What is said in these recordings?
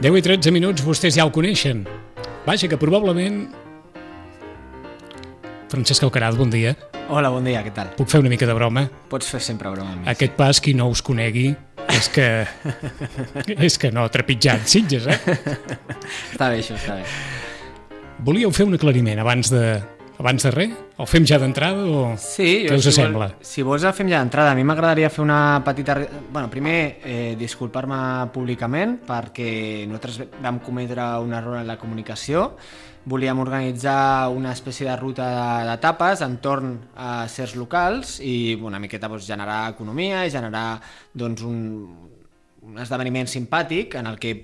10 i 13 minuts, vostès ja ho coneixen. Vaja, que probablement... Francesc Alcaraz, bon dia. Hola, bon dia, què tal? Puc fer una mica de broma? Pots fer sempre broma amb mi. Aquest pas, qui no us conegui, és que no, trepitjant Sitges, Està bé, això, està bé. Volíeu fer un aclariment abans de res? El fem ja d'entrada o sí, què us sembla? Si vols el fem ja d'entrada. A mi m'agradaria fer una petita... Bueno, primer, disculpar-me públicament perquè nosaltres vam cometre un error en la comunicació. Volíem organitzar una espècie de ruta d'etapes entorn a certs locals i una miqueta generar economia i generar un esdeveniment simpàtic en el que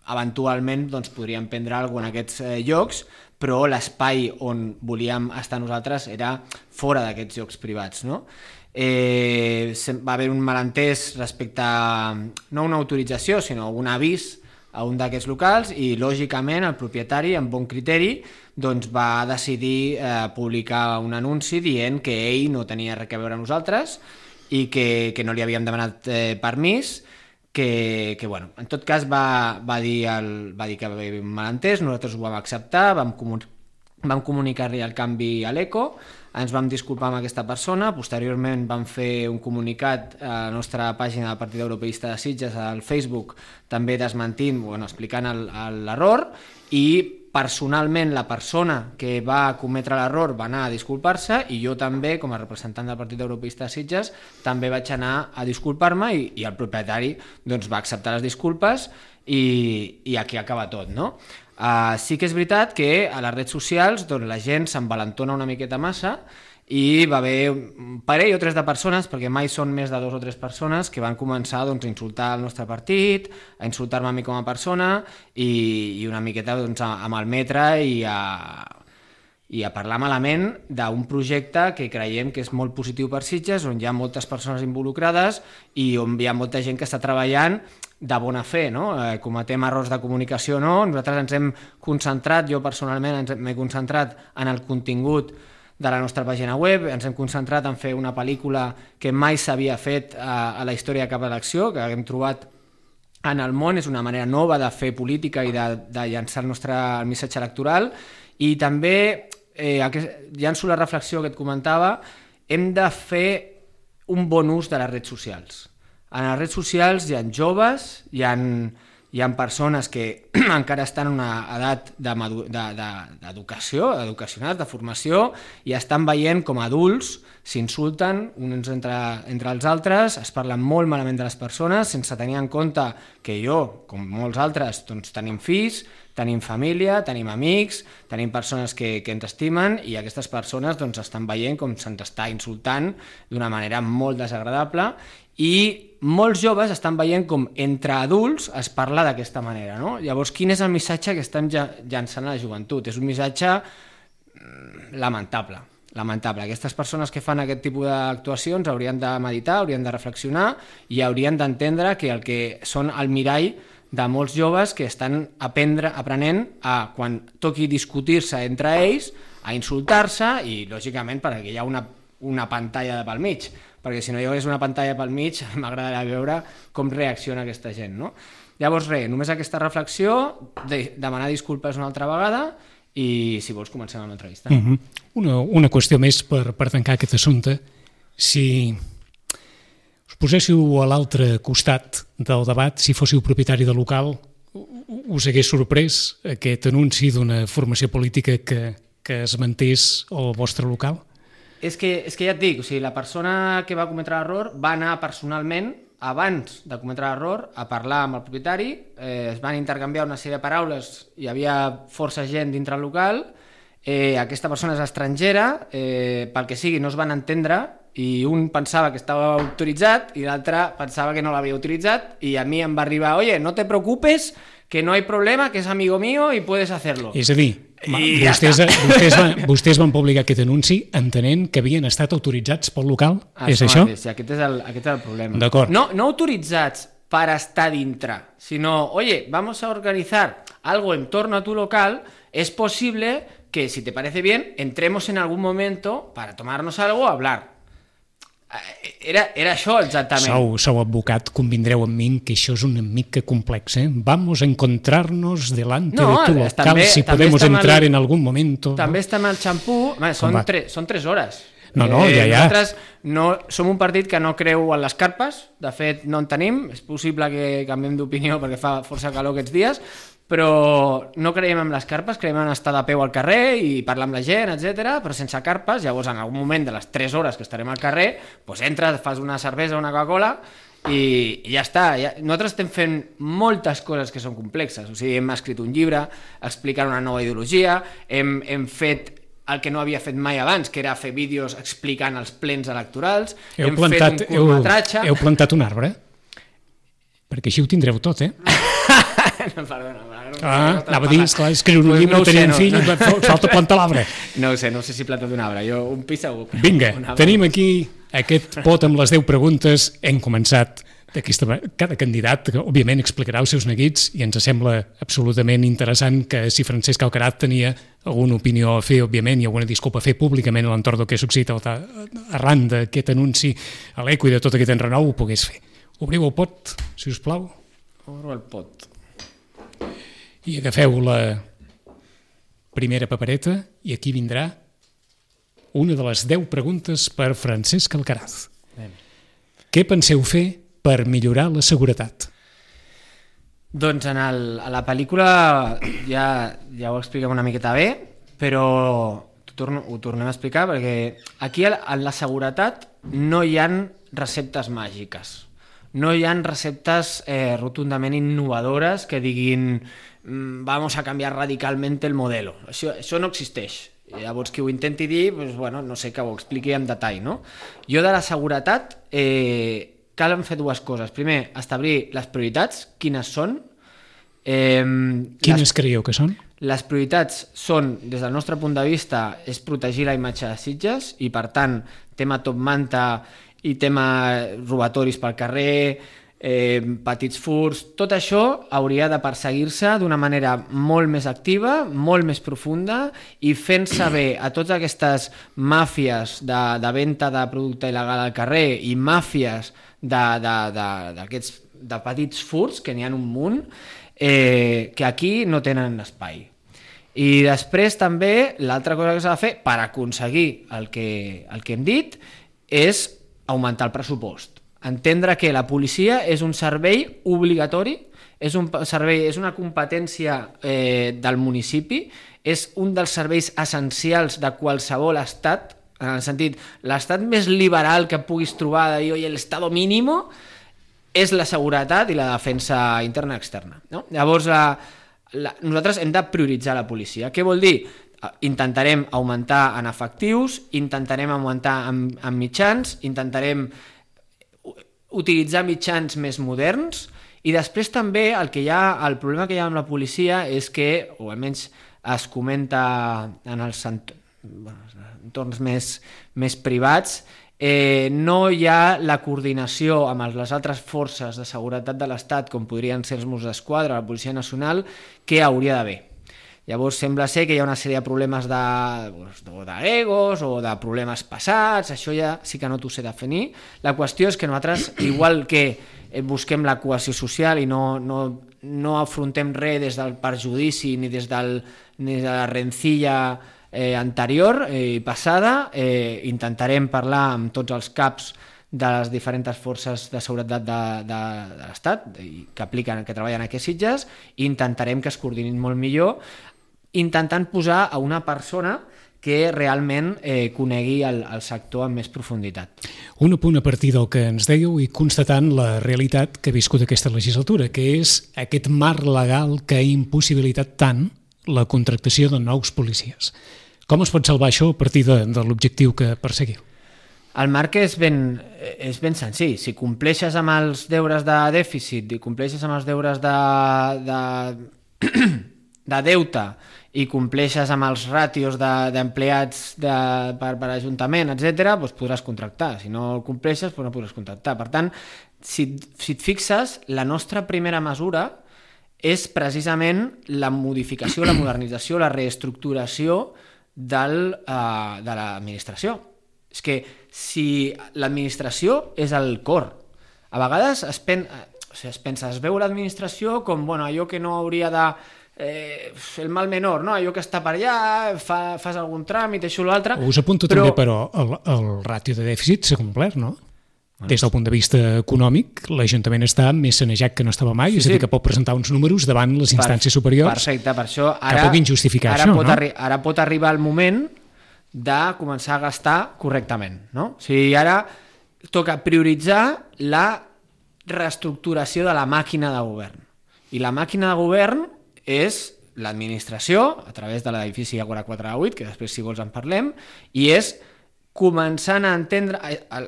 eventualment podríem prendre alguna en aquests llocs, però l'espai on volíem estar nosaltres era fora d'aquests llocs privats, no? Va haver un malentès respecte a no una autorització, sinó un avís a un d'aquests locals i, lògicament, el propietari, amb bon criteri, va decidir publicar un anunci dient que ell no tenia res a veure amb nosaltres i que no li havíem demanat permís, que bueno, en tot cas va dir que va haver un malentès, nosaltres ho vam acceptar, vam comunicar-li el canvi a l'ECO, ens vam disculpar amb aquesta persona, posteriorment vam fer un comunicat a la nostra pàgina del Partit Europeista de Sitges al Facebook, també desmentint, explicant l'error, i personalment la persona que va cometre l'error va anar a disculpar-se i jo també, com a representant del Partit Europeista de Sitges, també vaig anar a disculpar-me i el propietari va acceptar les disculpes i aquí acaba tot, no? Sí que és veritat que a les redes socials la gent s'envalentona una miqueta massa i va haver un parell o tres de persones, perquè mai són més de 2 o 3 persones, que van començar a insultar el nostre partit, a insultar-me a mi com a persona i una miqueta a malmetre i a parlar malament d'un projecte que creiem que és molt positiu per Sitges, on hi ha moltes persones involucrades i on hi ha molta gent que està treballant de bona fe, no? Cometem errors de comunicació, no? Nosaltres ens hem concentrat, jo personalment m'he concentrat en el contingut de la nostra pàgina web, ens hem concentrat en fer una pel·lícula que mai s'havia fet a la història de cap elecció, que hem trobat en el món, és una manera nova de fer política i de llançar el nostre missatge electoral, i també, llanço la reflexió que et comentava, hem de fer un bon ús de les redes socials. En les redes socials hi ha joves, hi ha persones que encara estan en una edat d'educació, educacionals, de formació, i estan veient com adults s'insulten uns entre els altres, es parlen molt malament de les persones, sense tenir en compte que jo, com molts altres, tenim fills, tenim família, tenim amics, tenim persones que ens estimen i aquestes persones estan veient com se'ns està insultant d'una manera molt desagradable i molts joves estan veient com entre adults es parla d'aquesta manera, no? Llavors, quin és el missatge que estem llançant a la joventut? És un missatge lamentable. Aquestes persones que fan aquest tipus d'actuacions haurien de meditar, haurien de reflexionar i haurien d'entendre que el que són el mirall de molts joves que estan aprenent a, quan toqui discutir-se entre ells, a insultar-se i, lògicament, perquè hi ha una pantalla pel mig, perquè si no hi hagués una pantalla pel mig m'agradaria veure com reacciona aquesta gent, no? Llavors només aquesta reflexió, demanar disculpes una altra vegada i si vols comencem amb l'entrevista. Una qüestió més per tancar aquest assumpte. Si us poséssiu a l'altre costat del debat, si fóssiu propietari de local, us hagués sorprès aquest anunci d'una formació política que es mantés al vostre local? És que ja et dic, la persona que va cometre l'error va anar personalment, abans de cometre l'error, a parlar amb el propietari, es van intercanviar una sèrie de paraules, hi havia força gent dintre el local, aquesta persona és estrangera, pel que sigui no es van entendre i un pensava que estava autoritzat i l'altre pensava que no l'havia utilitzat i a mi em va arribar, oye, no te preocupes, que no hay problema, que es amigo mío y puedes hacerlo. És a dir, vostès van publicar aquest anunci entenent que havien estat autoritzats pel local? És això? Sí, aquest és el problema. D'acord. No autoritzats per estar dintre, sinó, oye, vamos a organizar algo en torno a tu local, es posible que, si te parece bien, entremos en algún momento para tomarnos algo o hablar. Era això exactament. Sou advocat, convindreu amb mi que això és una mica complex, eh? Vamos a encontrarnos delante de tu local, si podemos entrar en algún momento. També està amb el xampú, són 3 hores. Ja. Nosaltres som un partit que no creu en les carpes, de fet no en tenim, és possible que canviem d'opinió perquè fa força calor aquests dies, però no creiem en les carpes, creiem en estar de peu al carrer i parlar amb la gent, etc. Però sense carpes. Llavors en algun moment de les 3 hores que estarem al carrer, doncs entres, fas una cervesa o una Coca-Cola i ja està. Nosaltres estem fent moltes coses que són complexes, o sigui, hem escrit un llibre explicant una nova ideologia, hem fet el que no havia fet mai abans, que era fer vídeos explicant els plens electorals, hem fet un curtmetratge... Heu plantat un arbre? Perquè així ho tindreu tot, eh? Perdona. Anava a dir, esclar, escriure un llibre, tenir un fill, falta plantar l'arbre. No ho sé si he plantat un arbre, jo un pi segur. Vinga, tenim aquí aquest pot amb les 10 preguntes, hem començat cada candidat, que òbviament explicarà els seus neguits, i ens sembla absolutament interessant que si Francesc Alcaraz tenia alguna opinió a fer, òbviament, i alguna disculpa a fer públicament a l'entorn del que ha succeït arran d'aquest anunci a l'eco i de tot aquest enrenou, ho pogués fer. Obriu el pot, si us plau. Obro el pot. I agafeu la primera papereta i aquí vindrà una de les 10 preguntes per Francesc Alcaraz. Què penseu fer per millorar la seguretat? Doncs a la pel·lícula ja ho expliquem una miqueta bé, però ho tornem a explicar perquè aquí en la seguretat no hi ha receptes màgiques. No hi ha receptes rotundament innovadores que diguin vamos a canviar radicalmente el modelo. Això no existeix. Llavors, qui ho intenti dir, no sé, que ho expliqui en detall, no? Jo de la seguretat cal fer 2 coses. Primer, establir les prioritats, quines són. Quines creieu que són? Les prioritats són, des del nostre punt de vista, és protegir la imatge de Sitges i, per tant, tema top manta i tema robatoris pel carrer, petits furts, tot això hauria de perseguir-se d'una manera molt més activa, molt més profunda i fent saber a totes aquestes màfies de venda de producte il·legal al carrer i màfies de petits furts, que n'hi ha un munt, que aquí no tenen espai. I després també l'altra cosa que s'ha de fer per aconseguir el que hem dit és augmentar el pressupost. Entendre que la policia és un servei obligatori, és una competència del municipi, és un dels serveis essencials de qualsevol estat, en el sentit, l'estat més liberal que puguis trobar de dir, oye, el estado mínimo, és la seguretat i la defensa interna i externa. No? Llavors, nosaltres hem de prioritzar la policia. Què vol dir? Intentarem augmentar en efectius, intentarem augmentar en mitjans, intentarem utilitzar mitjans més moderns i després també el problema que hi ha amb la policia és que, o almenys es comenta en els entorns més privats, no hi ha la coordinació amb les altres forces de seguretat de l'Estat, com podrien ser els Mossos d'Esquadra, la Policia Nacional, que hauria d'haver. Llavors sembla ser que hi ha una sèrie de problemes d'egos o de problemes passats, això ja sí que no t'ho sé definir. La qüestió és que nosaltres, igual que busquem la cohesió social i no afrontem res des del perjudici ni des de la rencilla anterior i passada, intentarem parlar amb tots els caps de les diferents forces de seguretat de l'Estat que treballen aquí a Sitges i intentarem que es coordinin molt millor, intentant posar a una persona que realment conegui el sector amb més profunditat. Un apunt a partir del que ens dèieu i constatant la realitat que ha viscut aquesta legislatura, que és aquest marc legal que ha impossibilitat tant la contractació de nous policies. Com es pot salvar això a partir de l'objectiu que perseguiu? El marc és ben senzill. Si compleixes amb els deures de dèficit i compleixes amb els deures de deute i compleixes amb els ràtios d'empleats per ajuntament, etc., doncs podràs contractar. Si no el compleixes, no podràs contractar. Per tant, si et fixes, la nostra primera mesura és precisament la modificació, la modernització, la reestructuració de l'administració. És que si l'administració és el cor. A vegades es veu l'administració com allò que no hauria de... el mal menor, no? Allò que està per allà, fas algun tràmit, això o l'altre... Us apunto també, però, el ràtio de dèficit s'ha complert, no? Des del punt de vista econòmic, l'Ajuntament està més sanejat que no estava mai, és a dir, que pot presentar uns números davant les instàncies superiors. Perfecte, per això que puguin justificar això, no? Ara pot arribar el moment de començar a gastar correctament, no? O sigui, ara toca prioritzar la reestructuració de la màquina de govern. I la màquina de govern és l'administració, a través de l'edifici Ágora 4-8, que després, si vols, en parlem, i és començant a entendre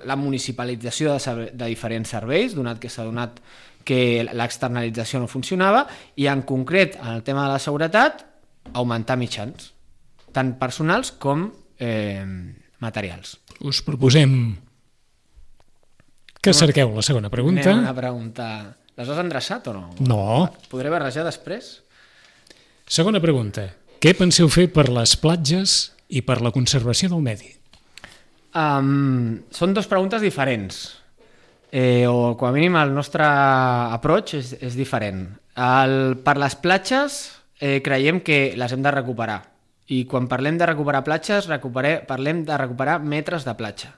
la municipalització de diferents serveis, donat que s'ha donat que l'externalització no funcionava, i en concret, en el tema de la seguretat, augmentar mitjans, tant personals com materials. Us proposem que cerqueu la segona pregunta. Anem a preguntar... Les has endreçat o no? No. Podré barrejar després? Segona pregunta. Què penseu fer per les platges i per la conservació del medi? Són dues preguntes diferents. O com a mínim el nostre approach és diferent. Per les platges creiem que les hem de recuperar. I quan parlem de recuperar platges, parlem de recuperar metres de platja.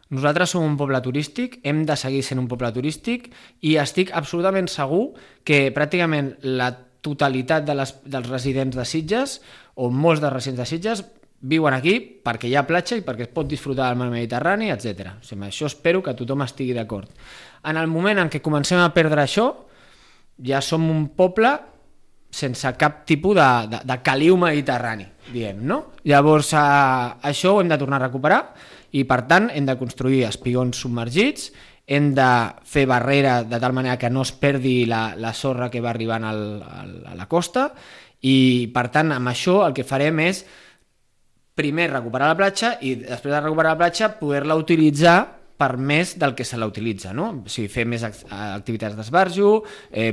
Nosaltres som un poble turístic, hem de seguir sent un poble turístic i estic absolutament segur que pràcticament la totalitat dels residents de Sitges, o molts dels residents de Sitges, viuen aquí perquè hi ha platja i perquè es pot disfrutar del mar Mediterrani, etc. O sigui, això espero que tothom estigui d'acord. En el moment en què comencem a perdre això, ja som un poble sense cap tipus de caliu mediterrani, diguem, no? Llavors, això ho hem de tornar a recuperar i, per tant, hem de construir espigons submergits, hem de fer barrera de tal manera que no es perdi la sorra que va arribant a la costa i, per tant, amb això el que farem és primer recuperar la platja i després de recuperar la platja poder-la utilitzar per més del que se la utilitza, no? O sigui, fer més activitats d'esbarjo,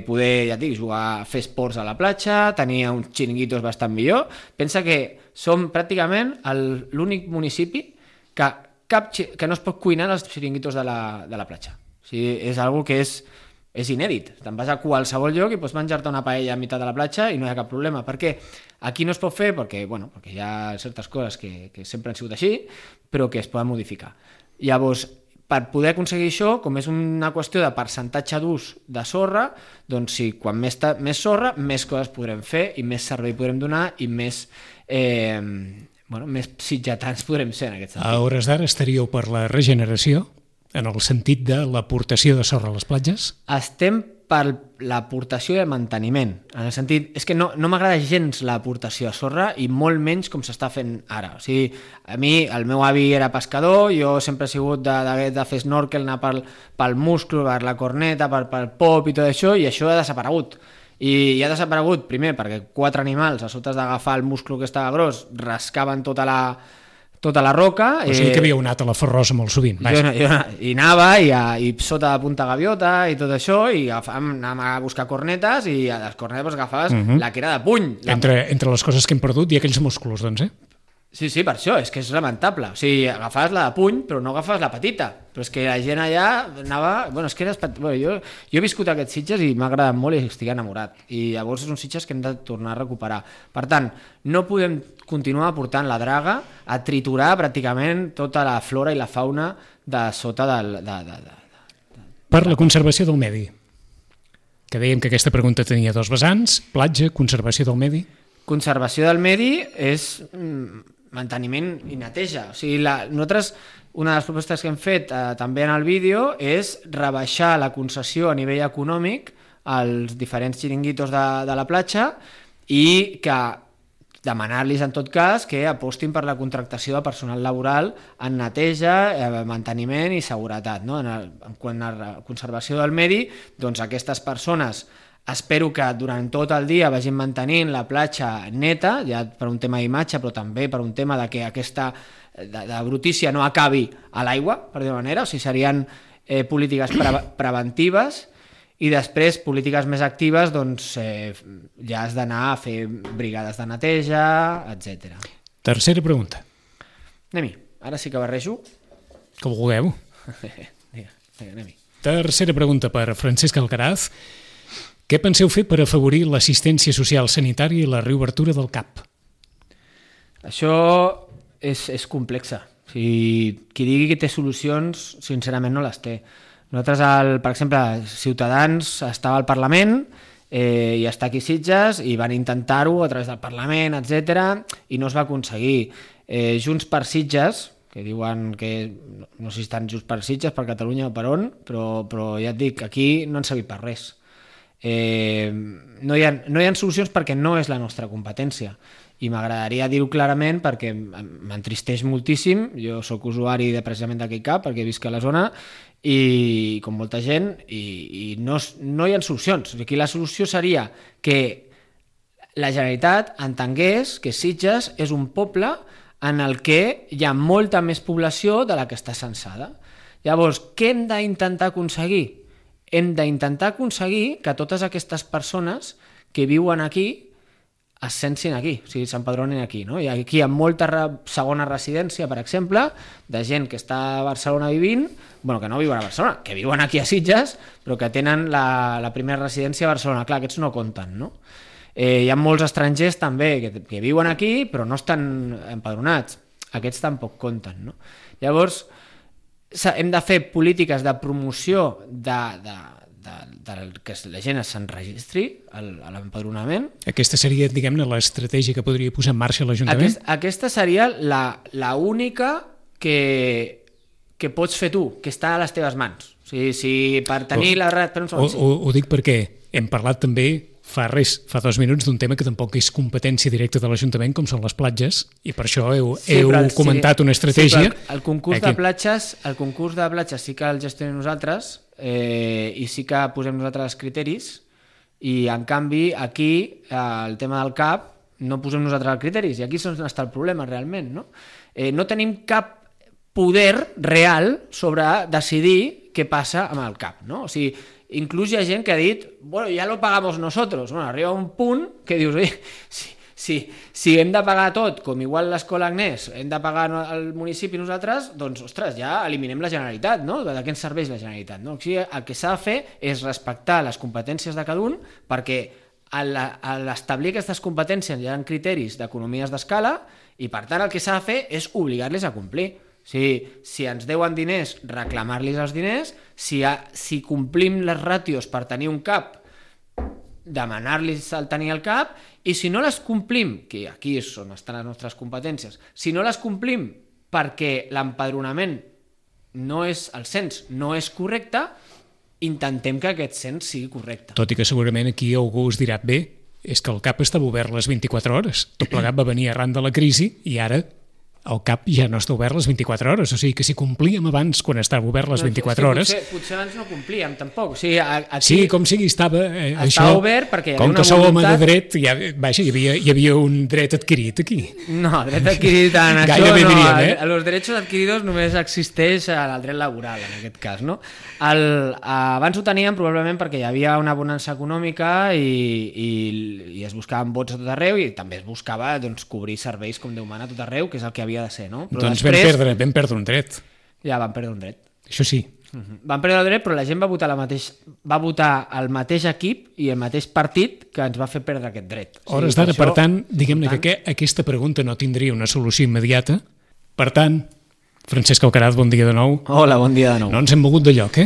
poder, ja et dic, jugar, fer esports a la platja, tenir uns xiringuitos bastant millor. Pensa que som pràcticament l'únic municipi que no es pot cuinar als xiringuitos de la platja. O sigui, és algo que és inèdit. Te'n vas a qualsevol lloc i pots menjar-te una paella a meitat de la platja i no hi ha cap problema. Per què? Aquí no es pot fer perquè hi ha certes coses que sempre han sigut així, però que es poden modificar. Llavors, per poder aconseguir això, com és una qüestió de percentatge d'ús de sorra, doncs sí, quan més sorra, més coses podrem fer i més servei podrem donar i més sitgetans podrem ser en aquest sentit. A hores d'ara estaríeu per la regeneració, en el sentit de l'aportació de sorra a les platges? Estem per l'aportació i el manteniment. En el sentit, és que no m'agrada gens l'aportació de sorra i molt menys com s'està fent ara. O sigui, a mi, el meu avi era pescador, jo sempre he sigut de fer snorkel, anar pel musclo, per la corneta, pel pop i tot això, i això ha desaparegut. I ha desaparegut, primer, perquè 4 animals, a sota d'agafar el musclo que estava gros, rascaven tota la roca. O sigui que havíeu anat a la Ferrosa molt sovint. Jo anava i sota de Punta Gaviota i tot això, i anàvem a buscar cornetes i a les cornetes agafaves la que era de puny. Entre les coses que hem perdut hi ha aquells músculs, doncs, Sí, per això, és que és lamentable. O sigui, agafaves la de puny, però no agafaves la petita. Però és que la gent allà anava... és que jo he viscut aquests Sitges i m'ha agradat molt i estic enamorat. I llavors és un Sitges que hem de tornar a recuperar. Per tant, no podem continuar portant la draga a triturar pràcticament tota la flora i la fauna de sota Per la conservació del medi. Que dèiem que aquesta pregunta tenia 2 vessants, platja, conservació del medi. Conservació del medi és manteniment i neteja. O sigui, nosaltres, una de les propostes que hem fet també en el vídeo és rebaixar la concessió a nivell econòmic als diferents xiringuitos de la platja i que demanar-los en tot cas que apostin per la contractació de personal laboral en neteja, manteniment i seguretat. En quant a conservació del medi, doncs aquestes persones espero que durant tot el dia vagin mantenint la platja neta, ja per un tema d'imatge, però també per un tema de que aquesta de brutícia no acabi a l'aigua, per dir-ho manera. O sigui, serien polítiques preventives i després polítiques més actives, doncs ja has d'anar a fer brigades de neteja, etc. Tercera pregunta. Anem-hi, ara sí que barrejo. Com vulgueu. Vinga, anem-hi. Tercera pregunta per Francesc Alcaraz. Què penseu fer per afavorir l'assistència social sanitària i la reobertura del CAP? Això és complexa. Qui digui que té solucions, sincerament no les té. Nosaltres, per exemple, Ciutadans estava al Parlament i està aquí a Sitges i van intentar-ho a través del Parlament, etc i no es va aconseguir. Junts per Sitges, que diuen que no sé si estan Junts per Sitges, per Catalunya o per on, però ja et dic, aquí no han servit per res. No hi ha solucions perquè no és la nostra competència i m'agradaria dir-ho clarament perquè m'entristeix moltíssim. Jo sóc usuari precisament d'aquell CAP perquè visc a la zona i com molta gent i no hi ha solucions. Aquí la solució seria que la Generalitat entengués que Sitges és un poble en el que hi ha molta més població de la que està censada. Llavors, què hem d'intentar aconseguir? Hem d'intentar aconseguir que totes aquestes persones que viuen aquí es sensin aquí, o sigui, s'empadronin aquí, no? I aquí hi ha molta segona residència, per exemple, de gent que està a Barcelona vivint, bueno, que no viuen a Barcelona, que viuen aquí a Sitges, però que tenen la primera residència a Barcelona. Clar, aquests no compten, no? Hi ha molts estrangers també que viuen aquí però no estan empadronats, aquests tampoc compten, no? Llavors hem de fer polítiques de promoció que la gent s'enregistri a l'empadronament. Aquesta seria, diguem-ne, l'estratègia que podria posar en marxa l'Ajuntament? Aquesta seria la única que pots fer tu, que està a les teves mans. O sigui, si per tenir la... Ho dic perquè hem parlat també fa 2 minuts d'un tema que tampoc és competència directa de l'Ajuntament, com són les platges, i per això heu comentat una estratègia. Sí, el concurs de platges sí que el gestionem nosaltres i sí que posem nosaltres els criteris i en canvi aquí el tema del CAP no posem nosaltres els criteris i aquí és on està el problema realment, no? No tenim cap poder real sobre decidir què passa amb el CAP, no? O sigui, inclús hi ha gent que ha dit, bueno, ya lo pagamos nosotros. Bueno, arriba un punt que dius, oye, si hem de pagar tot, com igual l'Escola Agnès, hem de pagar al municipi nosaltres, doncs, ostres, ja eliminem la Generalitat, no? De què ens serveix la Generalitat, no? O sigui, el que s'ha de fer és respectar les competències de cada un, perquè a l'establir aquestes competències hi ha criteris d'economies d'escala i, per tant, el que s'ha de fer és obligar-les a complir. Si ens deuen diners, reclamar-los els diners, si complim les ràtios per tenir un CAP, demanar-los el tenir el CAP, i si no les complim, que aquí és on estan les nostres competències, si no les complim perquè l'empadronament no és el cens, no és correcte, intentem que aquest cens sigui correcte. Tot i que segurament aquí algú us dirà, bé, és que el CAP estava obert les 24 hores, tot plegat va venir arran de la crisi i ara el CAP ja no està obert les 24 hores, o sigui que si complíem abans quan estava obert les 24 hores... Potser abans no complíem, tampoc. O sigui, aquí sí, com sigui, estava obert perquè hi havia una voluntat... Com que sou home de dret, hi havia un dret adquirit aquí. No, dret adquirit en això gairebé no. Diríem, Els drets adquiridos només existeix el dret laboral, en aquest cas, no? Abans ho teníem probablement perquè hi havia una bonança econòmica i es buscaven vots a tot arreu i també es buscava cobrir serveis com Déu mana a tot arreu, que és el que havia de ser, no? Però doncs després, vam perdre un dret. Ja vam perdre un dret. Això sí. Vam perdre el dret, però la gent va votar el mateix equip i el mateix partit que ens va fer perdre aquest dret. Hores d'ara, per tant, diguem-ne que aquesta pregunta no tindria una solució immediata. Per tant, Francesc Alcaraz, bon dia de nou. Hola, bon dia de nou. No ens hem mogut de lloc,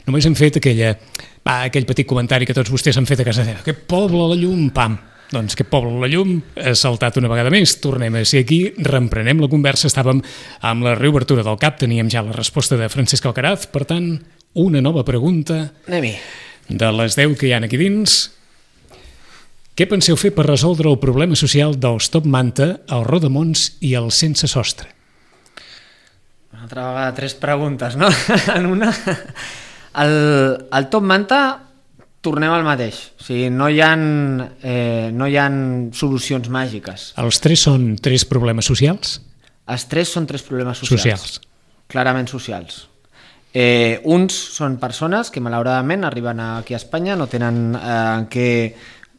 Només hem fet aquell petit comentari que tots vostès han fet a casa seva. Aquest poble a la llum, pam. Doncs aquest poble a la llum ha saltat una vegada més. Tornem a ser aquí, reemprenem la conversa. Estàvem amb la reobertura del CAP, teníem ja la resposta de Francesc Alcaraz. Per tant, una nova pregunta de les 10 que hi ha aquí dins. Què penseu fer per resoldre el problema social dels Top Manta, el Rodamons i el Sense Sostre? Una altra vegada 3 preguntes, no? En una... El Top Manta, tornem al mateix. O sigui, no hi ha solucions màgiques. Els 3 són 3 problemes socials? Els 3 són 3 problemes socials. Clarament socials. Uns són persones que malauradament arriben aquí a Espanya, no tenen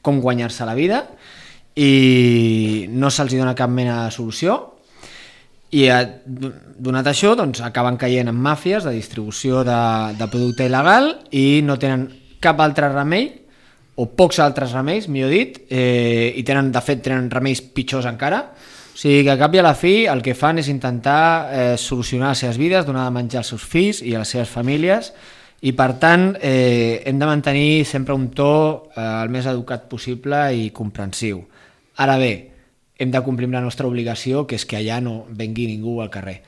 com guanyar-se la vida i no se'ls dona cap mena de solució. I donat això, doncs, acaben caient en màfies de distribució de producte il·legal i no tenen cap altre remei, o pocs altres remeis, millor dit, i de fet tenen remeis pitjors encara. O sigui que a cap i a la fi el que fan és intentar solucionar les seves vides, donar de menjar als seus fills i a les seves famílies, i per tant hem de mantenir sempre un to el més educat possible i comprensiu. Ara bé, hem de complir la nostra obligació, que és que allà no vengui ningú al carrer.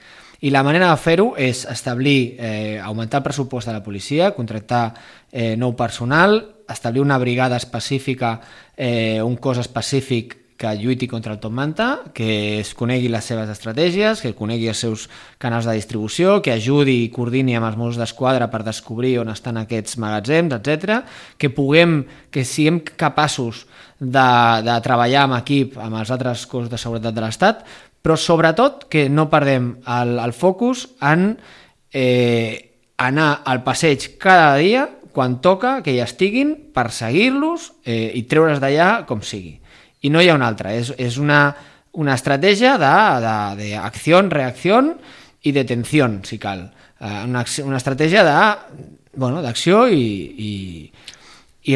I la manera de fer-ho és establir, augmentar el pressupost de la policia, contractar nou personal, establir una brigada específica, un cos específic que lluiti contra el top manta, que es conegui les seves estratègies, que conegui els seus canals de distribució, que ajudi i coordini amb els Mossos d'Esquadra per descobrir on estan aquests magatzems, etc. Que siguem capaços de treballar en equip amb els altres cossos de seguretat de l'Estat, però sobretot que no perdem el focus en anar al passeig cada dia, quan toca, que hi estiguin, perseguir-los i treure's d'allà com sigui. I no hi ha una altra, és una estratègia d'acció, reacció i detenció, si cal. Una estratègia d'acció i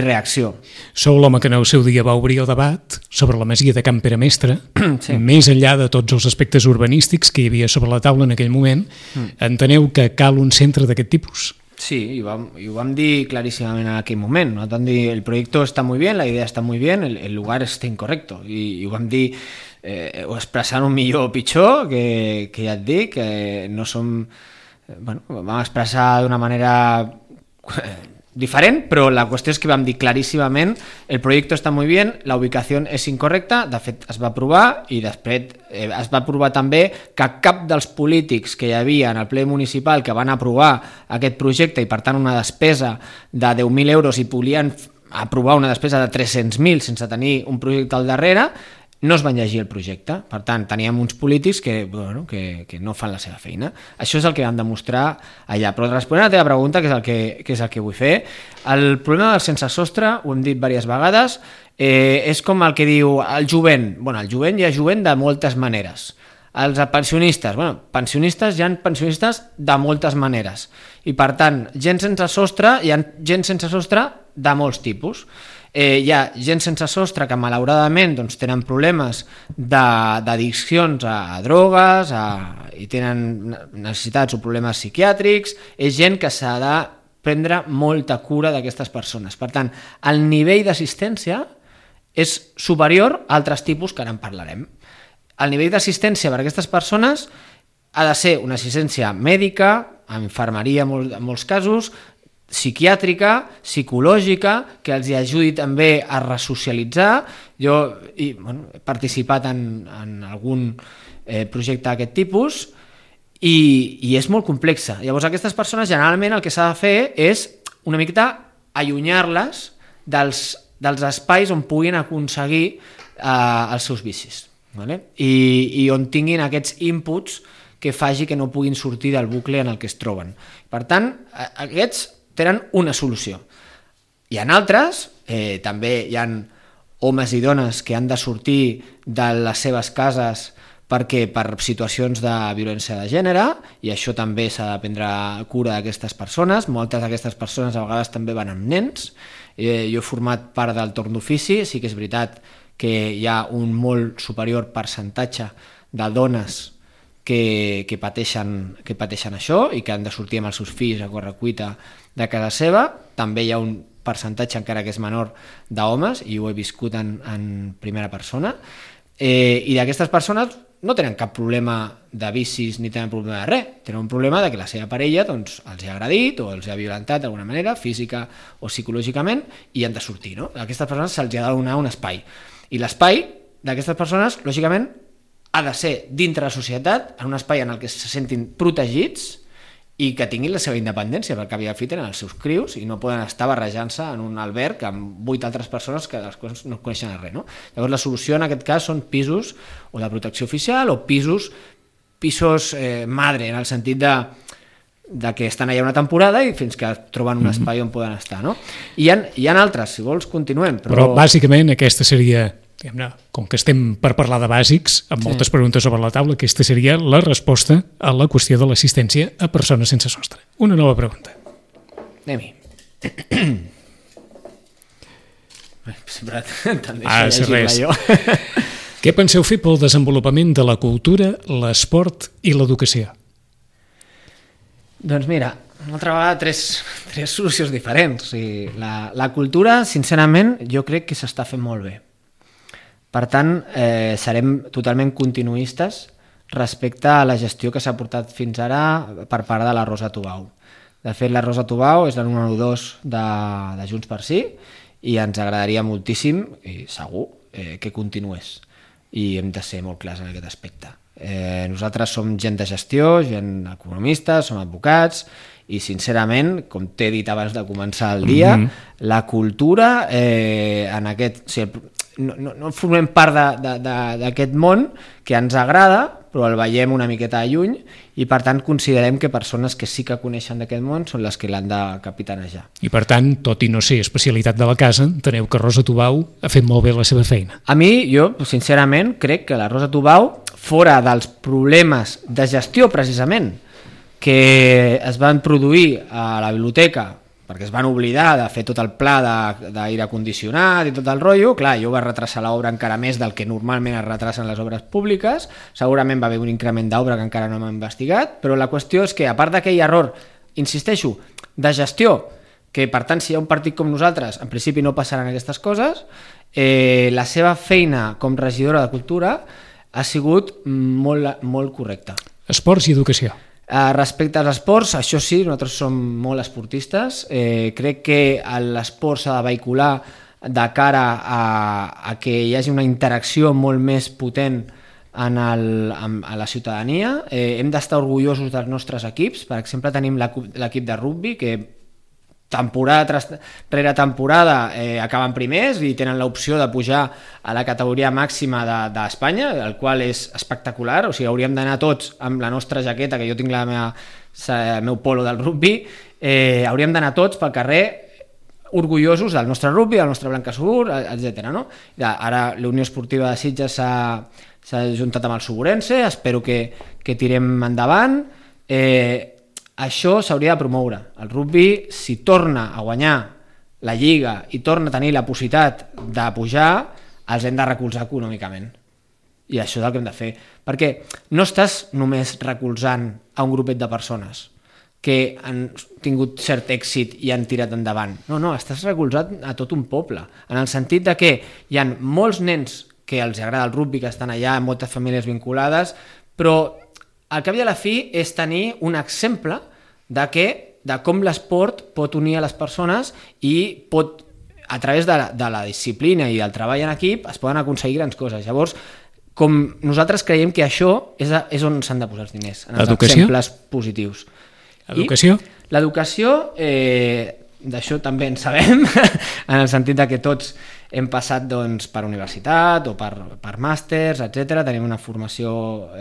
reacció. Sou l'home que en el seu dia va obrir el debat sobre la masia de Can Peremestre, sí. Més enllà de tots els aspectes urbanístics que hi havia sobre la taula en aquell moment, enteneu que cal un centre d'aquest tipus? Sí, i ho vam dir claríssimament en aquell moment. No? Vam dir, el projecte està molt bé, la idea està molt bé, el lugar està incorrecto. I ho vam dir expressant-ho millor o pitjor, que ja et dic, que no som... vam expressar d'una manera diferent, però la qüestió és que vam dir claríssimament el projecte està molt bé, la ubicació és incorrecta, de fet es va aprovar i després es va aprovar també que cap dels polítics que hi havia en el ple municipal que van aprovar aquest projecte i per tant una despesa de 10.000 euros i volien aprovar una despesa de 300.000 sense tenir un projecte al darrere, no es van llegir el projecte. Per tant, teníem uns polítics que no fan la seva feina. Això és el que vam demostrar allà. Però responent a la teva pregunta, que és el que vull fer, el problema del sense sostre, ho hem dit diverses vegades, és com el que diu el jovent. Bueno, el jovent hi ha jovent de moltes maneres. Els pensionistes, pensionistes hi ha pensionistes de moltes maneres. I per tant, gent sense sostre, hi ha gent sense sostre de molts tipus. Hi ha gent sense sostre que malauradament tenen problemes d'addiccions a drogues i tenen necessitats o problemes psiquiàtrics, és gent que s'ha de prendre molta cura d'aquestes persones. Per tant, el nivell d'assistència és superior a altres tipus que ara en parlarem. El nivell d'assistència per a aquestes persones ha de ser una assistència mèdica, infermeria en molts casos, psiquiàtrica, psicològica, que els ajudi també a resocialitzar. Jo he participat en algun projecte d'aquest tipus i és molt complexa. Llavors aquestes persones generalment el que s'ha de fer és una miqueta allunyar-les dels espais on puguin aconseguir els seus vicis, i on tinguin aquests inputs que faci que no puguin sortir del bucle en el que es troben. Per tant, aquests tenen una solució. Hi ha altres, també hi ha homes i dones que han de sortir de les seves cases per situacions de violència de gènere, i això també s'ha de prendre cura d'aquestes persones. Moltes d'aquestes persones a vegades també van amb nens. Jo he format part del torn d'ofici, sí que és veritat que hi ha un molt superior percentatge de dones que pateixen això i que han de sortir amb els seus fills a correcuita de casa seva. També hi ha un percentatge, encara que és menor, d'homes, i ho he viscut en primera persona, i d'aquestes persones no tenen cap problema de vicis ni tenen problema de res, tenen un problema de que la seva parella els ha agredit o els ha violentat d'alguna manera, física o psicològicament, i han de sortir. A aquestes persones se'ls ha de donar un espai, i l'espai d'aquestes persones, lògicament, ha de ser dintre la societat, en un espai en el que se sentin protegits i que tinguin la seva independència, perquè al fi tenen els seus crius i no poden estar barrejant-se en un alberg amb 8 altres persones que les quals no coneixen res. Llavors la solució en aquest cas són pisos o de protecció oficial o pisos madre, en el sentit de que estan allà una temporada i fins que troben un espai on poden estar. I hi ha altres, si vols continuem. Però bàsicament aquesta seria com que estem per parlar de bàsics, amb moltes preguntes sobre la taula, aquesta seria la resposta a la qüestió de l'assistència a persones sense sostre. Una nova pregunta. Anem-hi. Sempre te'n deixo llegir-la jo. Què penseu fer pel desenvolupament de la cultura, l'esport i l'educació? Doncs mira, una altra vegada tres solucions diferents. O sigui, la cultura, sincerament, jo crec que s'està fent molt bé. Per tant, serem totalment continuistes respecte a la gestió que s'ha portat fins ara per part de la Rosa Tubau. De fet, la Rosa Tubau és la número 2 de Junts per Sí i ens agradaria moltíssim, i segur, que continués. I hem de ser molt clars en aquest aspecte. Nosaltres som gent de gestió, gent economistes, som advocats i sincerament, com t'he dit abans de començar el dia, la cultura en aquest... O sigui, no formem part d'aquest món que ens agrada, però el veiem una miqueta de lluny i per tant considerem que persones que sí que coneixen d'aquest món són les que l'han de capitanejar. I per tant, tot i no ser especialitat de la casa, enteneu que Rosa Tubau ha fet molt bé la seva feina. A mi, jo, sincerament, crec que la Rosa Tubau, fora dels problemes de gestió precisament que es van produir a la biblioteca perquè es van oblidar de fer tot el pla d'aire condicionat i tot el rotllo, clar, jo va retrasar l'obra encara més del que normalment es retrasen les obres públiques, segurament va haver un increment d'obra que encara no hem investigat, però la qüestió és que, a part d'aquell error, insisteixo, de gestió, que per tant si hi ha un partit com nosaltres, en principi no passaran aquestes coses, la seva feina com regidora de Cultura ha sigut molt correcta. Esports i educació. Respecte als esports, això sí, nosaltres som molt esportistes. Crec que l'esport s'ha de vehicular de cara a que hi hagi una interacció molt més potent a la ciutadania. Hem d'estar orgullosos dels nostres equips. Per exemple, tenim l'equip de rugbi que temporada rere temporada acaben primers i tenen l'opció de pujar a la categoria màxima d'Espanya, el qual és espectacular. O sigui, hauríem d'anar tots amb la nostra jaqueta, que jo tinc el meu polo del rugbi, hauríem d'anar tots pel carrer orgullosos del nostre rugbi, del nostre Blancasur, etc. No? Ara la Unió Esportiva de Sitges s'ha juntat amb el Suburense, espero que tirem endavant. Això s'hauria de promoure. El rugbi, si torna a guanyar la Lliga i torna a tenir la possibilitat de pujar, els hem de recolzar econòmicament. I això és el que hem de fer. Perquè no estàs només recolzant a un grupet de persones que han tingut cert èxit i han tirat endavant. No, estàs recolzant a tot un poble, en el sentit de que hi ha molts nens que els agrada el rugbi, que estan allà, moltes famílies vinculades, però al cap i a la fi és tenir un exemple de com l'esport pot unir a les persones i pot, a través de la disciplina i del treball en equip, es poden aconseguir grans coses. Llavors, com nosaltres creiem que això és on s'han de posar els diners, en els exemples positius. Educació? L'educació, d'això també en sabem, en el sentit que tots hem passat per universitat o per màsters, etc. Tenim una formació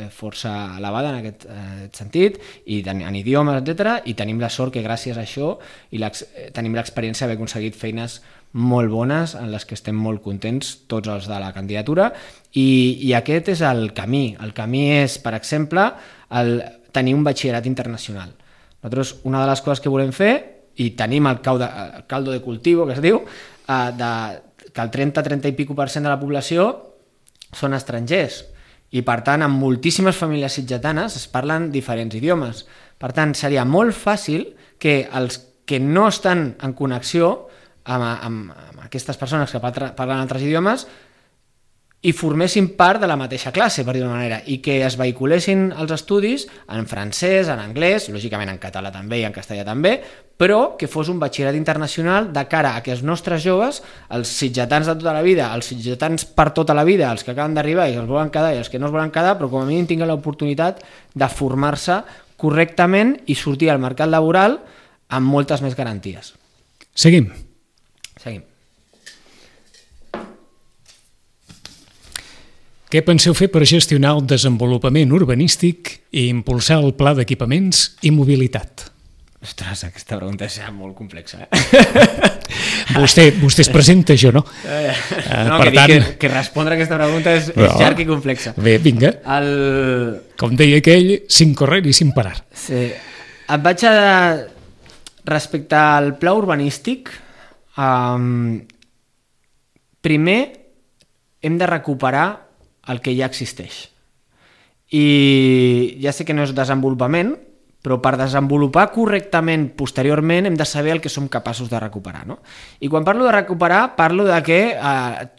força elevada en aquest sentit, i en idiomes, etc. I tenim la sort que gràcies a això tenim l'experiència d'haver aconseguit feines molt bones en les que estem molt contents tots els de la candidatura, i aquest és el camí. El camí és, per exemple, tenir un batxillerat internacional. Nosaltres, una de les coses que volem fer, i tenim el caldo de cultivo, que es diu, que el 30 i pico % de la població són estrangers, i per tant en moltíssimes famílies sitgetanes es parlen diferents idiomes. Per tant, seria molt fàcil que els que no estan en connexió amb aquestes persones que parlen altres idiomes i formessin part de la mateixa classe, per dir d'una manera, i que es vehiculessin els estudis en francès, en anglès, lògicament en català també i en castellà també, però que fos un batxillerat internacional de cara a que els nostres joves, els sitgetans de tota la vida, els sitgetans per tota la vida, els que acaben d'arribar i els volen quedar i els que no es volen quedar, però com a mínim tinguin l'oportunitat de formar-se correctament i sortir al mercat laboral amb moltes més garanties. Seguim. Què penseu fer per gestionar el desenvolupament urbanístic i impulsar el pla d'equipaments i mobilitat? Ostres, aquesta pregunta és molt complexa. Vostè es presenta, jo no. No, per tant... que respondre a aquesta pregunta és llarg i complexa. Bé, vinga. Com deia aquell, sin correr i sin parar. Sí. Et vaig a... Respecte al pla urbanístic, primer hem de recuperar el que ja existeix. I ja sé que no és desenvolupament, però per desenvolupar correctament posteriorment hem de saber el que som capaços de recuperar, no? I quan parlo de recuperar, parlo de que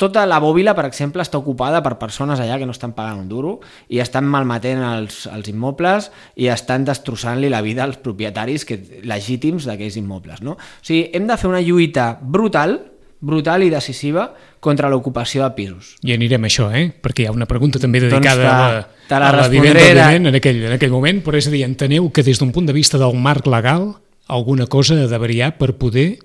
tota la bòbila, per exemple, està ocupada per persones allà que no estan pagant un duro i estan malmetent els immobles i estan destrossant-li la vida als propietaris legítims d'aquells immobles, no? O sigui, hem de fer una lluita brutal i decisiva contra l'ocupació de pisos. I anirem a això, perquè hi ha una pregunta també dedicada a la vivenda, òbviament, en aquell moment, però és a dir, enteneu que des d'un punt de vista del marc legal alguna cosa ha de variar per poder...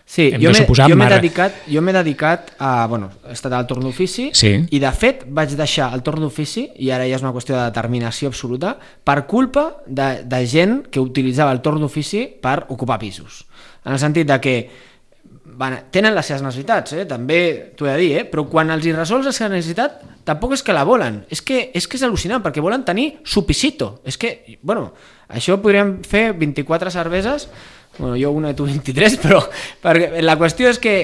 Sí, jo m'he dedicat a... Bueno, he estat al torn d'ofici i de fet vaig deixar el torn d'ofici, i ara ja és una qüestió de determinació absoluta, per culpa de gent que utilitzava el torn d'ofici per ocupar pisos. En el sentit de que tenen les seves necessitats, també t'ho he de dir, però quan els hi resols la seva necessitat tampoc és que la volen, és que és al·lucinant, perquè volen tenir su pisito. És que, bueno, això podríem fer 24 cerveses, bueno, jo una i tu 23, però perquè la qüestió és que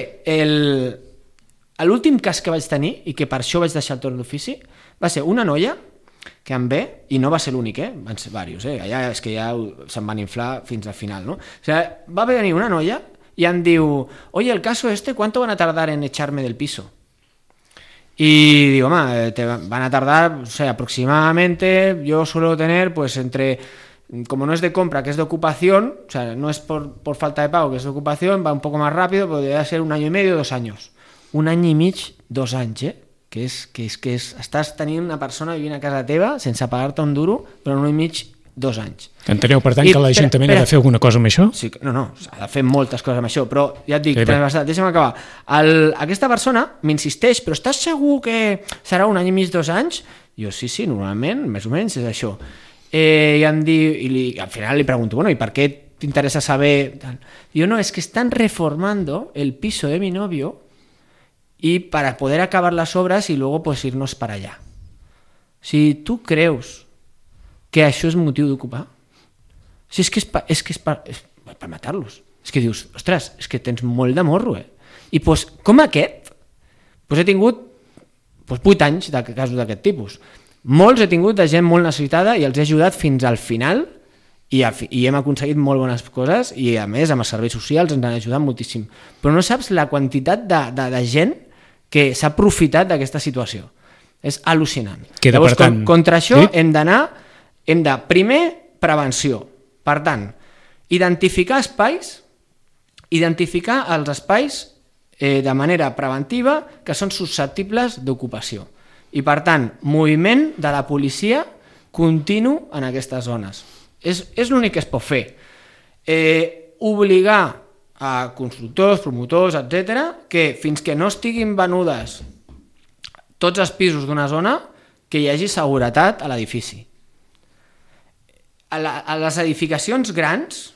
l'últim cas que vaig tenir, i que per això vaig deixar el torn d'ofici, va ser una noia que em ve, i no va ser l'únic, van ser diversos, allà és que ja se'n van inflar fins al final, no? O sigui, va venir una noia y em diu, oye, el caso ¿cuánto van a tardar en echarme del piso? Y digo, van a tardar, o sea, aproximadamente, yo suelo tener, pues como no es de compra, que es de ocupación, o sea, no es por falta de pago, que es de ocupación, va un poco más rápido, podría ser 1 año y medio, 2 años. 1 any i mig, 2 anys, que estàs tenint una persona vivint a casa teva sense pagar-te un duro, però 1 any i mig, 2 anys. Enteneu, per tant, que l'Ajuntament ha de fer alguna cosa amb això? Sí, no, ha de fer moltes coses amb això, però ja et dic, deixa'm acabar. Aquesta persona m'insisteix, però estàs segur que serà 1 any i mig, 2 anys? Jo, sí, normalment, més o menys és això. I em diu, i al final li pregunto, bueno, ¿y per què t'interessa saber? Diu, no, es que están reformando el piso de mi novio y para poder acabar las obras y luego pues irnos para allá. Si tu creus que això és motiu d'ocupar, si és que és per matar-los, és que dius, ostres, és que tens molt de morro, i doncs, com aquest, he tingut 8 anys de casos d'aquest tipus. Molts he tingut de gent molt necessitada i els he ajudat fins al final i hem aconseguit molt bones coses i a més amb els serveis socials ens han ajudat moltíssim, però no saps la quantitat de gent que s'ha aprofitat d'aquesta situació. És al·lucinant. Llavors, contra això hem de, primer, prevenció. Per tant, identificar els espais de manera preventiva que són susceptibles d'ocupació. I, per tant, moviment de la policia continu en aquestes zones. És l'únic que es pot fer. Obligar a constructors, promotors, etc., que fins que no estiguin venudes tots els pisos d'una zona, que hi hagi seguretat a l'edifici. A les edificacions grans,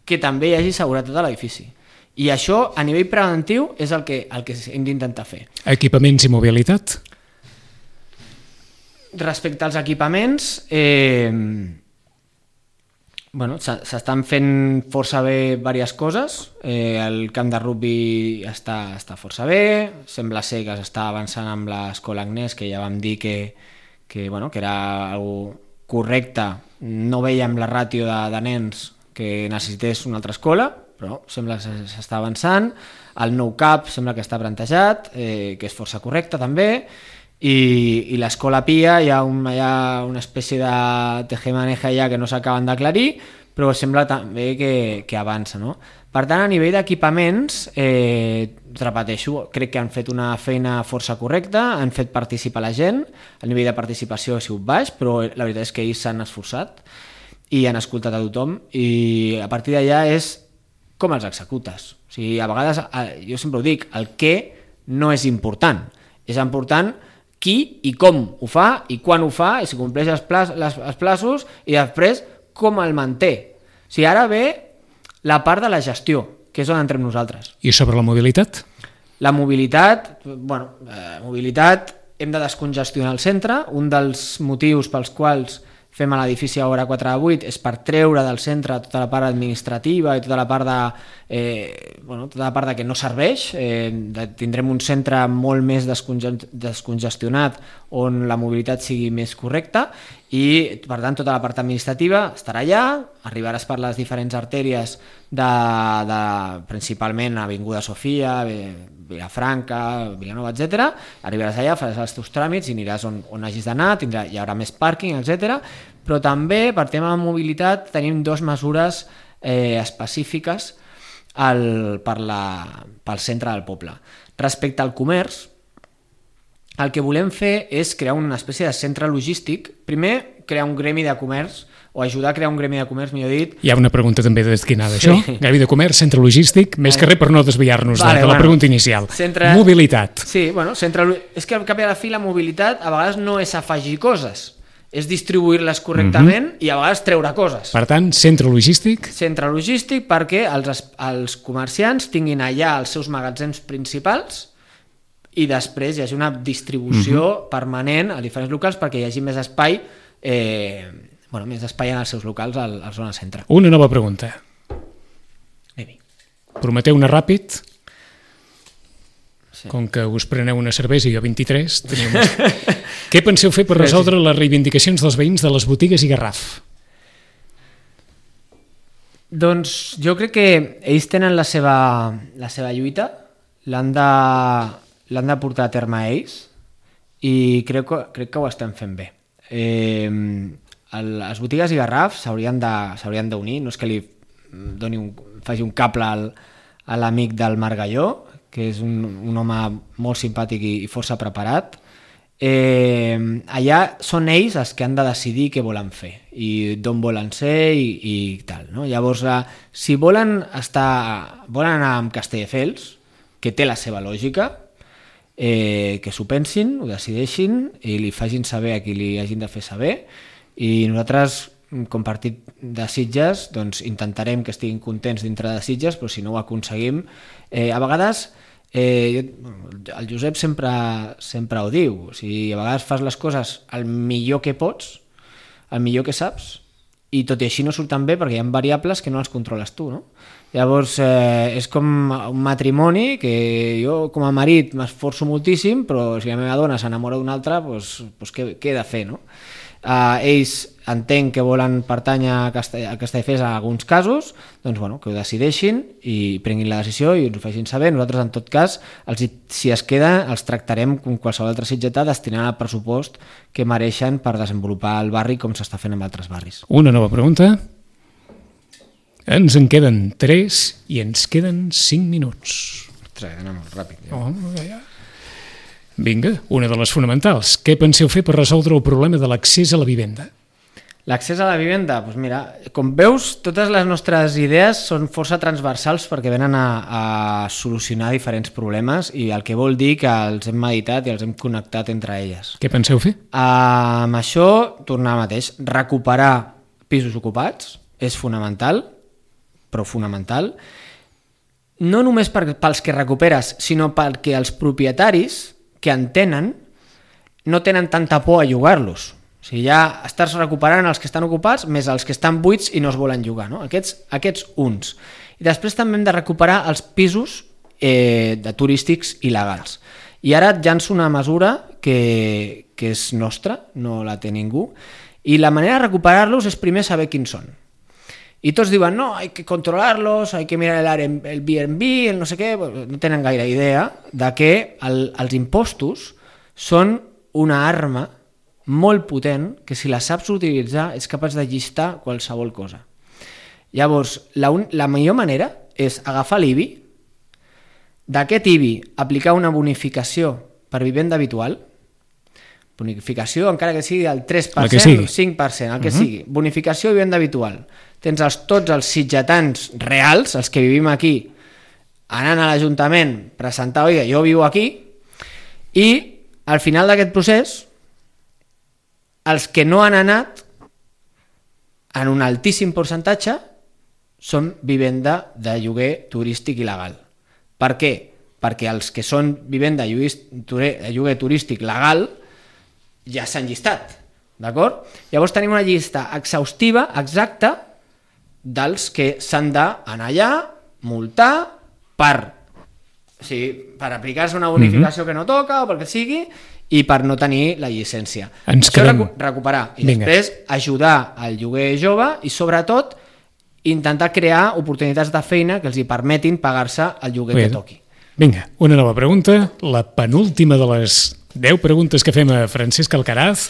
que també hi hagi seguretat a l'edifici. I això, a nivell preventiu, és el que hem d'intentar fer. Equipaments i mobilitat? Respecte als equipaments, s'estan fent força bé diverses coses. El camp de rugby està força bé, sembla ser que s'està avançant amb l'escola Agnès, que ja vam dir que era algo correcte. No veiem la ràtio de nens que necessités una altra escola, però sembla que s'està avançant. El nou CAP sembla que està plantejat, que és força correcte també, i l'escola Pia hi ha una espècie de tejemaneja ja que no s'acaben d'aclarir, però sembla també que avança, no? Per tant, a nivell d'equipaments, repeteixo, crec que han fet una feina força correcta, han fet participar la gent, el nivell de participació ha sigut baix, però la veritat és que ells s'han esforçat i han escoltat a tothom, i a partir d'allà és com els executes. O sigui, a vegades, jo sempre ho dic, el què no és important, és important qui i com ho fa i quan ho fa i si compleix els plaços i després com el manté. sigui, ara ve la part de la gestió, que és on entrem nosaltres. I sobre la mobilitat? La mobilitat, mobilitat, hem de descongestionar el centre. Un dels motius pels quals fem a l'edifici a hora 4 de 8 és per treure del centre tota la part administrativa i tota la part de que no serveix. Tindrem un centre molt més descongestionat on la mobilitat sigui més correcta i, per tant, tota la part administrativa estarà allà, arribaràs per les diferents artèries principalment Avinguda Sofia, Vilafranca, Vilanova, etc. Arribaràs allà, faràs els teus tràmits i aniràs on hagis d'anar, hi haurà més pàrquing, etc. Però també, per tema de mobilitat, tenim 2 mesures específiques pel centre del poble. Respecte al comerç, el que volem fer és crear una espècie de centre logístic. Primer, crear un gremi de comerç, o ajudar a crear un gremi de comerç, millor dit. Hi ha una pregunta també destinada a això. Gremi de comerç, centre logístic, més que res per no desviar-nos de la pregunta inicial. Mobilitat. Sí, és que al cap i a la fi la mobilitat a vegades no és afegir coses, és distribuir-les correctament i a vegades treure coses. Per tant, centre logístic? Centre logístic perquè els comerciants tinguin allà els seus magatzems principals i després hi hagi una distribució permanent a diferents locals perquè hi hagi més espai més espai en els seus locals a la zona centre. Una nova pregunta. Prometeu-ne ràpid. Sí. Com que us preneu una cervesa i jo 23, què penseu fer per resoldre les reivindicacions dels veïns de les botigues i Garraf? Doncs jo crec que ells tenen la seva lluita, l'han de portar a terme ells i crec que ho estem fent bé. Les botigues i Garraf s'haurien d'unir, no és que li faci un cable a l'amic del Margalló, que és un home molt simpàtic i força preparat. Allà són ells els que han de decidir què volen fer i d'on volen ser i tal, no? Llavors, si volen anar amb Castelldefels, que té la seva lògica, que s'ho pensin, ho decideixin i li facin saber a qui li hagin de fer saber. I nosaltres, com partit de Sitges, doncs intentarem que estiguin contents dintre de Sitges, però si no ho aconseguim, a vegades el Josep sempre ho diu, o sigui, a vegades fas les coses el millor que pots, el millor que saps, i tot i així no surten bé perquè hi ha variables que no les controles tu, no? Llavors és com un matrimoni que jo com a marit m'esforço moltíssim, però si la meva dona s'enamora d'una altra, doncs què he de fer, no? Ells entenc que volen pertànyer a Castelldefels en alguns casos, doncs que ho decideixin i prenguin la decisió i ens ho facin saber. Nosaltres, en tot cas, si es queda, els tractarem com qualsevol altre sitgetà destinant el pressupost que mereixen per desenvolupar el barri com s'està fent en altres barris. Una nova pregunta. Ens en queden 3 i ens queden 5 minuts. Ostres, anem molt ràpid. Vinga, una de les fonamentals. Què penseu fer per resoldre el problema de l'accés a la vivenda? L'accés a la vivenda, doncs mira, com veus, totes les nostres idees són força transversals perquè venen a solucionar diferents problemes i el que vol dir que els hem meditat i els hem connectat entre elles. Què penseu fer? Amb això, tornar al mateix, recuperar pisos ocupats és fonamental, però fonamental, no només pels que recuperes, sinó perquè els propietaris que en tenen no tenen tanta por a llogar-los. O sigui, ja estàs recuperant els que estan ocupats més els que estan buits i no es volen llogar, no? Aquests uns. I després també hem de recuperar els pisos de turístics il·legals. I ara et llanço una mesura que és nostra, no la té ningú, i la manera de recuperar-los és primer saber quins són. I tots diuen, no, hay que controlarlos, hay que mirar el Airbnb, el no sé què, no tenen gaire idea de que els impostos són una arma molt potent que si la saps utilitzar és capaç de llistar qualsevol cosa. Llavors, la millor manera és agafar l'IBI, d'aquest IBI aplicar una bonificació per vivenda habitual, bonificació encara que sigui del 3%, el 5%, el que sigui, bonificació de vivenda habitual. Tens tots els sitgetans reals, els que vivim aquí, anant a l'Ajuntament, presentar, oiga, jo vivo aquí, i al final d'aquest procés, els que no han anat, en un altíssim percentatge, són vivenda de lloguer turístic il·legal. Per què? Perquè els que són vivenda de lloguer turístic legal ja s'han llistat, d'acord? Llavors tenim una llista exhaustiva, exacta, dels que s'han d'anar allà, multar, per aplicar-se una bonificació que no toca o pel que sigui, i per no tenir la llicència. Això recuperar i després ajudar al lloguer jove i sobretot intentar crear oportunitats de feina que els hi permetin pagar-se el lloguer que toqui. Vinga, una nova pregunta, la penúltima de les 10 preguntes que fem a Francesc Alcaraz.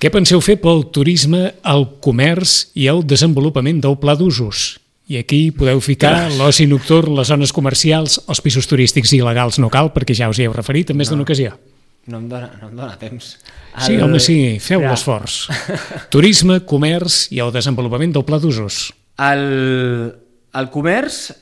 Què penseu fer pel turisme, el comerç i el desenvolupament del pla d'usos? I aquí podeu ficar l'oci nocturn, les zones comercials, els pisos turístics il·legals no cal, perquè ja us hi heu referit en més d'una ocasió. No em dóna temps. Sí, home, sí, feu l'esforç. Turisme, comerç i el desenvolupament del pla d'usos. El comerç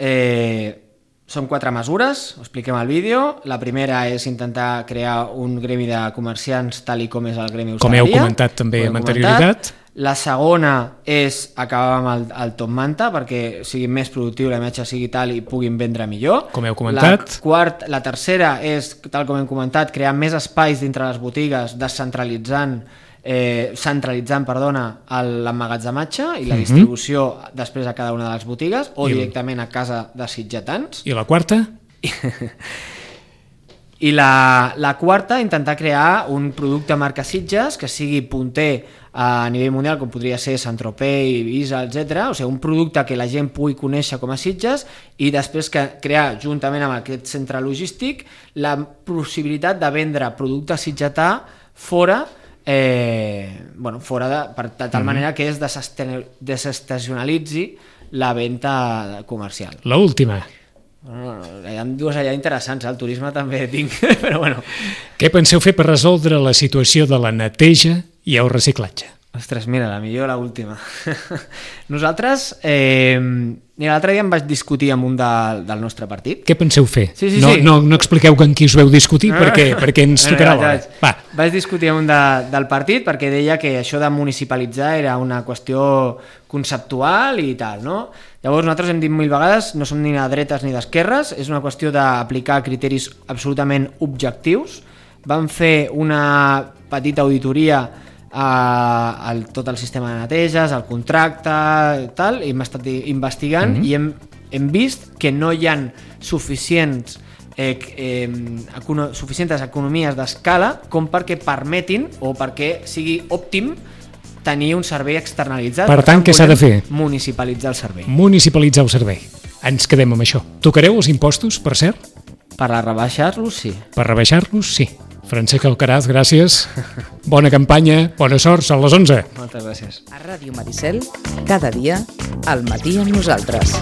són 4 mesures, ho expliquem al vídeo. La primera és intentar crear un gremi de comerciants tal com és el gremi hostaleria. Com heu comentat també amb anterioritat. La segona és acabar amb el top manta perquè sigui més productiu, la imatge sigui tal i puguin vendre millor. Com heu comentat. La tercera és, tal com hem comentat, crear més espais dintre les botigues, centralitzant l'emmagatzematge i la distribució després a cada una de les botigues o directament a casa de sitgetans. I la quarta? I la quarta, intentar crear un producte marca Sitges que sigui punter a nivell mundial, com podria ser Saint-Tropez, Ibiza, etc. O sigui, un producte que la gent pugui conèixer com a Sitges i després crear, juntament amb aquest centre logístic, la possibilitat de vendre producte sitgetà fora, de tal manera que es desestacionalitzi la venda comercial. L'última. Hi ha dues allà interessants, el turisme també tinc, però bueno. Què penseu fer per resoldre la situació de la neteja i el reciclatge? Ostres, mira, la millor l'última. Nosaltres, l'altre dia em vaig discutir amb un del nostre partit. Què penseu fer? Sí. No expliqueu amb qui us veu discutir perquè ens tocarà l'hora. Vaig discutir amb un del partit perquè deia que això de municipalitzar era una qüestió conceptual i tal, no? Llavors nosaltres hem dit 1000 vegades, no som ni de dretes ni d'esquerres, és una qüestió d'aplicar criteris absolutament objectius. Vam fer una petita auditoria a tot el sistema de neteges, el contracte i tal, i hem estat investigant i hem vist que no hi ha suficients economies d'escala com perquè permetin o perquè sigui òptim tenir un servei externalitzat. Per tant, què s'ha de fer? Municipalitzar el servei. Municipalitzar el servei. Ens quedem amb això. Tocareu els impostos, per cert? Per rebaixar-los, sí. Per rebaixar-los, sí. Francesc Alcaraz, gràcies. Bona campanya, bona sort, són les 11. Moltes gràcies. A Ràdio Maricel, cada dia, al matí amb nosaltres.